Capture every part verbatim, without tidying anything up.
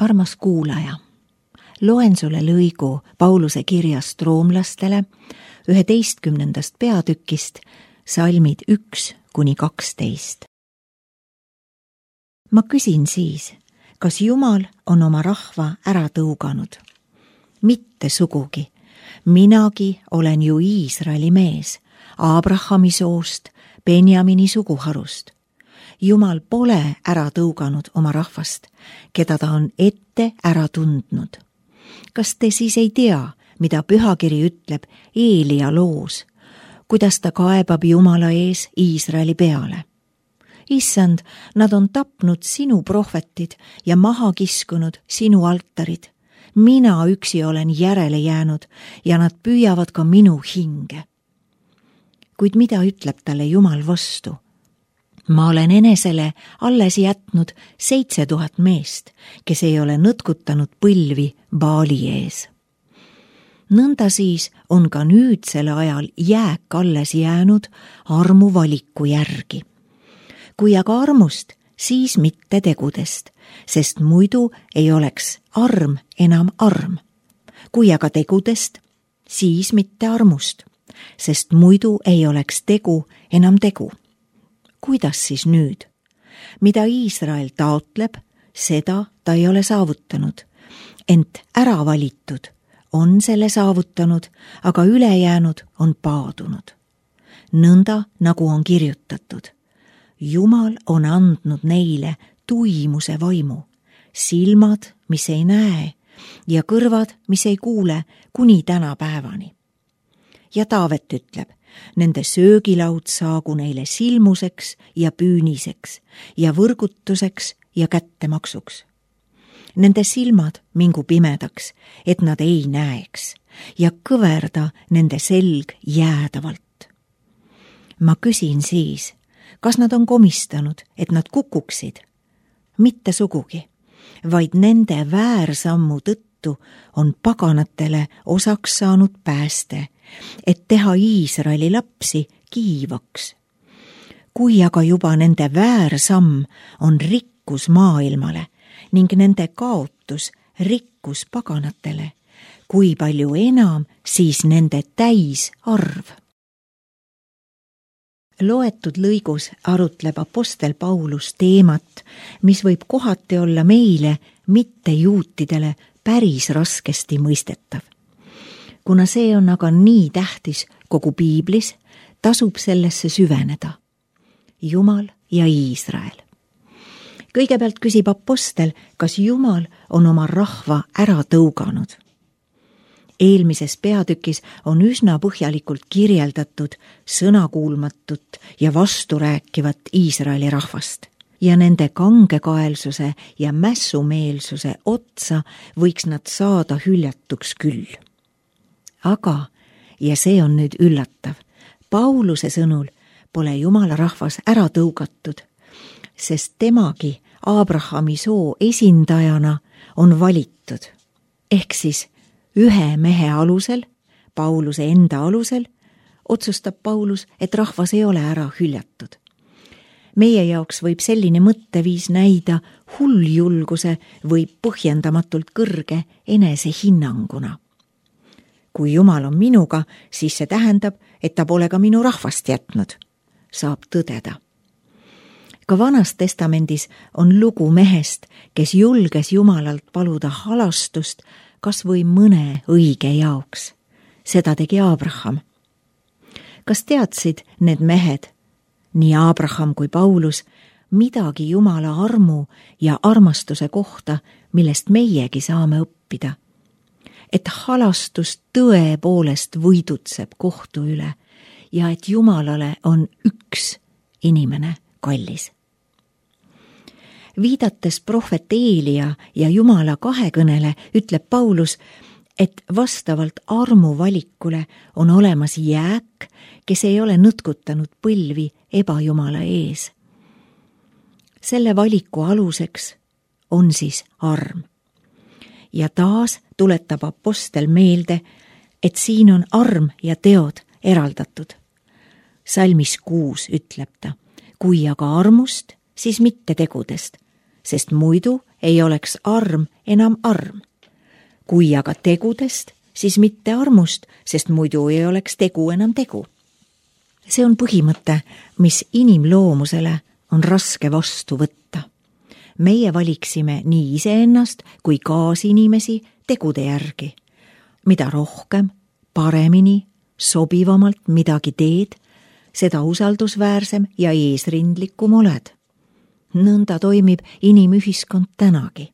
Armas kuulaja, loen sulle lõigu Pauluse kirjast roomlastele üheteistkümnendast peatükist, salmid üks kuni kaksteist. Ma küsin siis, kas Jumal on oma rahva ära tõuganud? Mitte sugugi. Minagi olen ju Iisraeli mees, Abrahami soost, Benjamini suguharust. Jumal pole ära tõuganud oma rahvast, keda ta on ette ära tundnud. Kas te siis ei tea, mida pühakiri ütleb Eelia loos, kuidas ta kaebab Jumala ees Iisraeli peale? Issand, nad on tapnud sinu prohvetid ja maha kiskunud sinu altarid. Mina üksi olen järele jäänud ja nad püüavad ka minu hinge. Kuid mida ütleb talle Jumal vastu? Ma olen enesele alles jätnud seitse tuhat meest, kes ei ole nõtkutanud põlvi Baali ees. Nõnda siis on ka nüüdsel ajal jääk alles jäänud armu valiku järgi. Kui aga armust, siis mitte tegudest, sest muidu ei oleks arm enam arm. Kui aga tegudest, siis mitte armust, sest muidu ei oleks tegu enam tegu. Kuidas siis nüüd? Mida Iisrael taotleb, seda ta ei ole saavutanud, ent ära valitud on selle saavutanud, aga ülejäänud on paadunud. Nõnda nagu on kirjutatud. Jumal on andnud neile tuimuse vaimu, silmad, mis ei näe, ja kõrvad, mis ei kuule, kuni tänapäevani. Ja Taavet ütleb, nende söögilaud saagu neile silmuseks ja püüniseks ja võrgutuseks ja kättemaksuks. Nende silmad mingu pimedaks, et nad ei näeks, ja kõverda nende selg jäädavalt. Ma küsin siis, kas nad on komistanud, et nad kukuksid? Mitte sugugi, vaid nende väärsammu tõttu on paganatele osaks saanud pääste, et teha Iisraeli lapsi kiivaks. Kui aga juba nende väärsamm on rikkus maailmale ning nende kaotus rikkus paganatele, kui palju enam siis nende täisarv? Loetud lõigus arutleb apostel Paulus teemat, mis võib kohati olla meile, mitte juutidele, päris raskesti mõistetav. Kuna see on aga nii tähtis kogu Piiblis, tasub sellesse süveneda. Jumal ja Iisrael. Kõigepealt küsib apostel, kas Jumal on oma rahva ära tõuganud. Eelmises peatükis on üsna põhjalikult kirjeldatud sõnakuulmatut ja vasturääkivat Iisraeli rahvast. Ja nende kangekaelsuse ja mässumeelsuse otsa võiks nad saada hüljatuks küll. Aga, ja see on nüüd üllatav, Pauluse sõnul pole Jumala rahvas ära tõugatud, sest temagi Abrahami soo esindajana on valitud. Ehk siis ühe mehe alusel, Pauluse enda alusel, otsustab Paulus, et rahvas ei ole ära hüljatud. Meie jaoks võib selline mõtteviis näida hulljulguse või põhjendamatult kõrge enesehinnanguna. Kui Jumal on minuga, siis see tähendab, et ta pole ka minu rahvast jätnud, saab tõdeda. Ka Vanas testamendis on lugu mehest, kes julges Jumalalt paluda halastust kas või mõne õige jaoks. Seda tegi Abraham. Kas teadsid need mehed, nii Abraham kui Paulus, midagi Jumala armu ja armastuse kohta, millest meiegi saame õppida? Et halastus tõepoolest võidutseb kohtu üle ja et Jumalale on üks inimene kallis. Viidates prohvet Eelia ja Jumala kahekõnele ütleb Paulus, et vastavalt armu valikule on olemas jääk, kes ei ole nõtkutanud põlvi ebajumala ees. Selle valiku aluseks on siis arm. Ja taas tuletab apostel meelde, et siin on arm ja teod eraldatud. Salmis kuus ütleb ta, kui aga armust, siis mitte tegudest, sest muidu ei oleks arm enam arm. Kui aga tegudest, siis mitte armust, sest muidu ei oleks tegu enam tegu. See on põhimõte, mis inimloomusele on raske vastu võtta. Meie valiksime nii iseennast kui kaasinimesi tegude järgi. Mida rohkem, paremini, sobivamalt midagi teed, seda usaldusväärsem ja eesrindlikum oled. Nõnda toimib inimühiskond tänagi.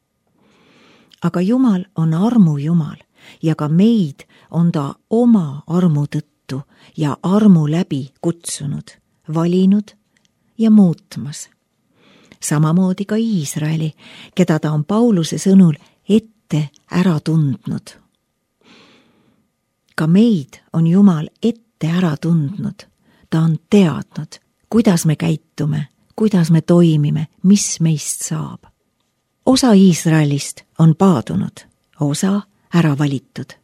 Aga Jumal on armu Jumal ja ka meid on ta oma armu tõttu ja armu läbi kutsunud, valinud ja muutmas. Samamoodi ka Iisraeli, keda ta on Pauluse sõnul ette ära tundnud. Ka meid on Jumal ette ära tundnud. Ta on teadnud, kuidas me käitume, kuidas me toimime, mis meist saab. Osa Iisraelist on paadunud, osa ära valitud.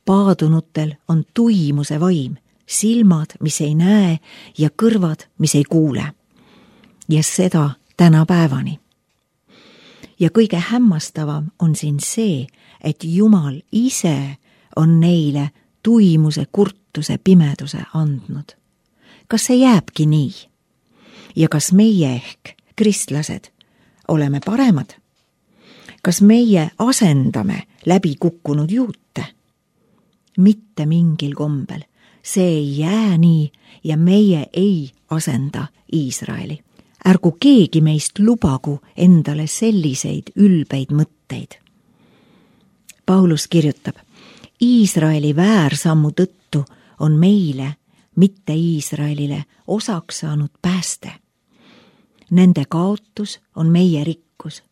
Paadunutel on tuimuse vaim, silmad, mis ei näe ja kõrvad, mis ei kuule. Ja seda tänapäevani. Ja kõige hämmastavam on siin see, et Jumal ise on neile tuimuse, kurtuse, pimeduse andnud. Kas see jääbki nii? Ja kas meie ehk, kristlased, oleme paremad? Kas meie asendame läbi kukkunud juute? Mitte mingil kombel. See ei jää nii ja meie ei asenda Iisraeli. Ärgu keegi meist lubagu endale selliseid ülbeid mõtteid. Paulus kirjutab, Iisraeli väärsammu tõttu on meile, mitte Iisraelile, osaks saanud pääste. Nende kaotus on meie rikkus.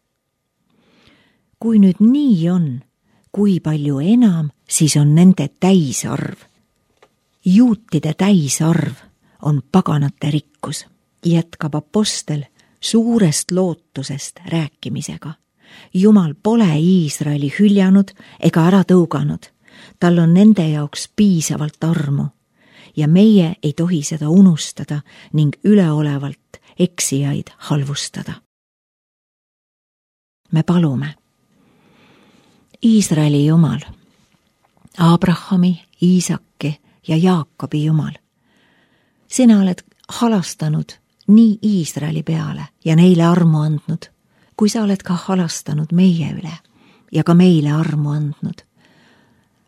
Kui nüüd nii on, kui palju enam, siis on nende täisarv. Juutide täisarv on paganate rikkus, jätkab apostel suurest lootusest rääkimisega. Jumal pole Iisraeli hüljanud ega ära tõuganud. Tal on nende jaoks piisavalt armu ja meie ei tohi seda unustada ning üleolevalt eksijaid halvustada. Me palume. Iisraeli Jumal, Abrahami, Iisaki ja Jaakobi Jumal, sina oled halastanud nii Iisraeli peale ja neile armu andnud, kui sa oled ka halastanud meie üle ja ka meile armu andnud.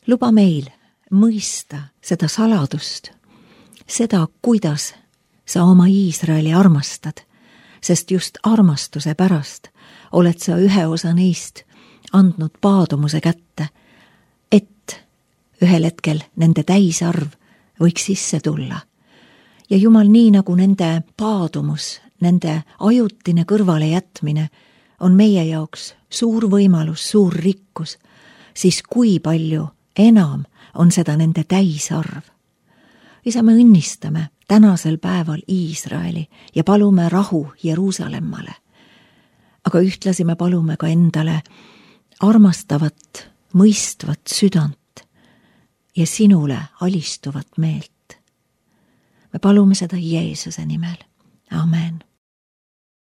Luba meil mõista seda saladust, seda, kuidas sa oma Iisraeli armastad, sest just armastuse pärast oled sa ühe osa neist andnud paadumuse kätte, et ühel hetkel nende täisarv võiks sisse tulla. Ja Jumal, nii nagu nende paadumus, nende ajutine kõrvale jätmine on meie jaoks suur võimalus, suur rikkus, siis kui palju enam on seda nende täisarv. Isa, me õnnistame tänasel päeval Iisraeli ja palume rahu Jeruusalemmale. Aga ühtlasi me palume ka endale armastavat, mõistvat südant ja sinule alistuvat meelt. Me palume seda Jeesuse nimel. Amen.